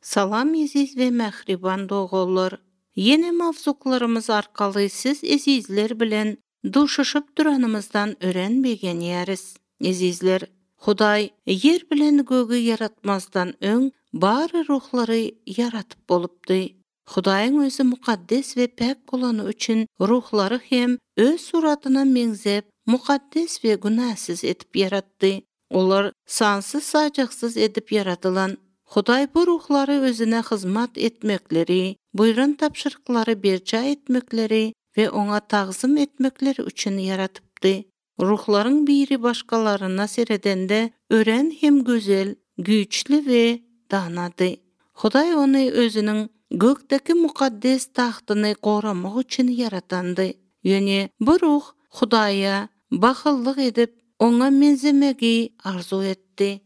Salam eziz ve mehriban doğullar. Yeni mavzuklarımız arkalı siz ezizler bilen duşuşup duranımızdan öğrenbegen yeriz. Ezizler, Huday yer bilen gögü yaratmazdan öň bari ruhları yaratıp bolupdy. Hudaýyň özü mukaddes ve pek bolany üçin ruhları hem öz suratyna meňzep, mukaddes ve günahsız etip yaratdy. Olar sansız sajaksız edip yaradylan. Hudaý bu ruhları özüne hizmet etmekleri, buyran tapşyrıklary berçä etmekleri ve ona tagzym etmekleri üçin yaratypdy. Ruhların biri başkalarına seredende ören hem gözel, güýçli ve danady. Hudaý ony özüniň gökdeki mukaddes tahtyny goramak üçin yaratandy. Ýöne bu ruh Hudaýa bahyllyk edip ona menzemegi arzu etdi.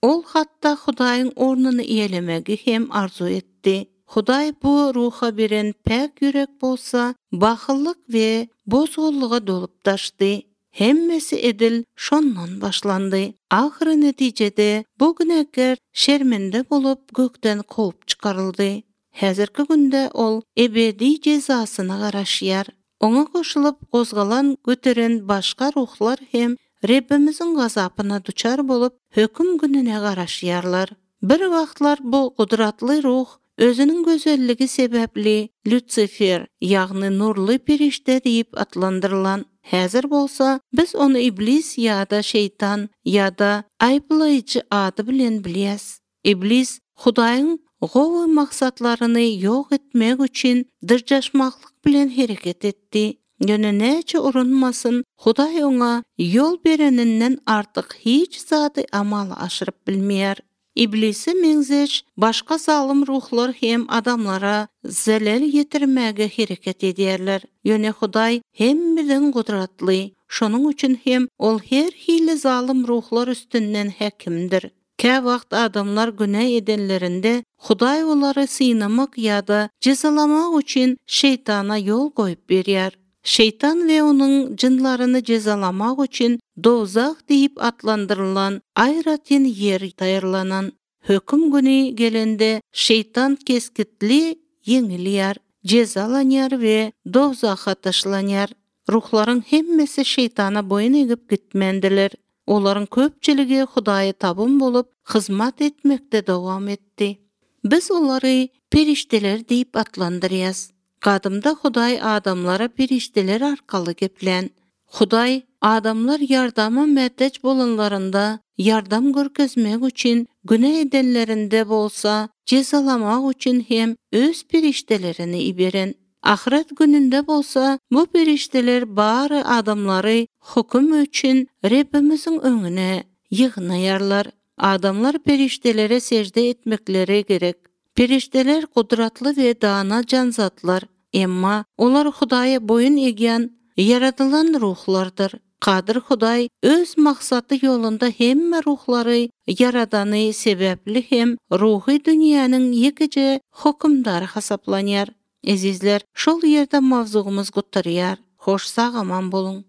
Ol hatta Hudaýyň ornuny iýelemegi hem arzu etdi. Hudaý bu ruha beren pek ýürek bolsa, bahyllyk we bozgullyga dolup taşdy. Hemmesi edil şondan başlandy. Ahry netijede bu günäkär şermende bolup gökden kovup çykaryldy. Häzirki günde ol ebedi jezasyna garaşýar. Oňa goşulyp gozgalan göteren başga ruhlar hem Rebbimiziň gazapyna duçar bolup höküm gününe garaşýarlar. Bir wagtlar bu gudratly ruh özüniň gözelligi sebäpli Lucifer, ýagny nurly perişte diýip atlandyrylan. Häzir bolsa biz onu iblis ýa-da şeytan ýa-da aýplaýjy ady bilen bilýäs. Iblis Hudaýyň gowy maksatlaryny ýok etmek üçin dyrjaşmaklyk bilen hereket etdi. Ýöne näçe urunmasyn, Hudaý oňa ýol bereninden artyk hiç zady amal aşyryp bilmeýär. Iblisi meňzeş başga zalym ruhlar hem adamlara zelal ýetirmäge hereket edýärler. Ýöne Hudaý hemmeden gudratly, şonuň üçin hem ol her hili zalym ruhlar üstünden häkimdir. Kä wagt adamlar günä edenlerinde Hudaý olary synamak ýa-da jezalamak üçin şeytana ýol goýup berýär. Şeytan ve onun jynlaryny jezalamak üçin dozak diýip atlandyrylan aýratyn yer taýyrlanan. Höküm güni gelende şeytan keskitli ýeňilýär, jezalanýar we dozaka taşlanýar. Ruhlaryň hemmesi şeytana boyun egip gitmendiler. Olaryň köpçiligi Hudaýa tabyn bolup hizmat etmekde dowam etdi. Biz olary perişteler diýip atlandyrýas. Gadymda Hudaý adamlara perişteler arkaly geplen. Hudaý adamlar ýardama mätäç bolanlarynda yardam görkezmek üçin günä edenlerinde bolsa jezalamak üçin hem öz periştelerini iberen. Ahiret gününde bolsa bu perişteler bari adamlary hukm üçin Rebbimiziň öňüne ýygnaýarlar. Adamlar periştelere secde etmekleri gerek. Perişteler gudratly we dana janzatlar. Emma olar Hudaýa boyun egýän yaradylan ruhlardyr. Qadir Hudaý öz maksady ýolunda hemme ruhlary yaradany sebäpli hem ruhy dünýäniň ýekije hukmdary hasaplanýar. Ezizler, şol ýerde mawzugymyz gutarýar. Hoş sag aman bolun.